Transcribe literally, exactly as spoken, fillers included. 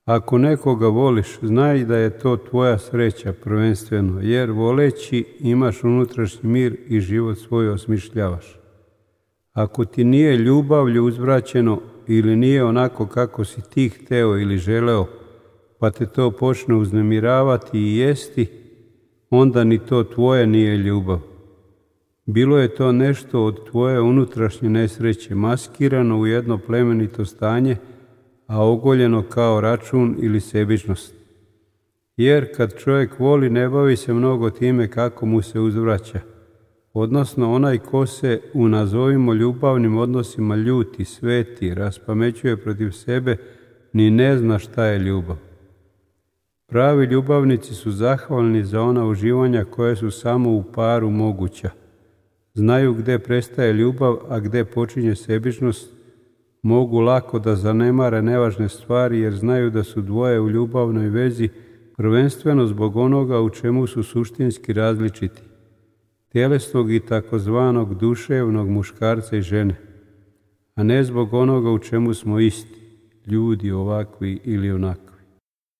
Ako nekoga voliš, znaj da je to tvoja sreća prvenstveno, jer voleći imaš unutrašnji mir i život svoj osmišljavaš. Ako ti nije ljubavlju uzvraćeno ili nije onako kako si ti hteo ili želeo, pa te to počne uznemiravati i jesti, onda ni to tvoje nije ljubav. Bilo je to nešto od tvoje unutrašnje nesreće, maskirano u jedno plemenito stanje, a ogoljeno kao račun ili sebičnost. Jer kad čovjek voli, ne bavi se mnogo time kako mu se uzvraća, odnosno onaj ko se u nazovimo ljubavnim odnosima ljuti, sveti, raspamećuje protiv sebe, ni ne zna šta je ljubav. Pravi ljubavnici su zahvalni za ona uživanja koje su samo u paru moguća. Znaju gdje prestaje ljubav, a gdje počinje sebičnost, mogu lako da zanemare nevažne stvari jer znaju da su dvoje u ljubavnoj vezi prvenstveno zbog onoga u čemu su suštinski različiti, tjelesnog i takozvanog duševnog muškarca i žene, a ne zbog onoga u čemu smo isti, ljudi ovakvi ili onakvi.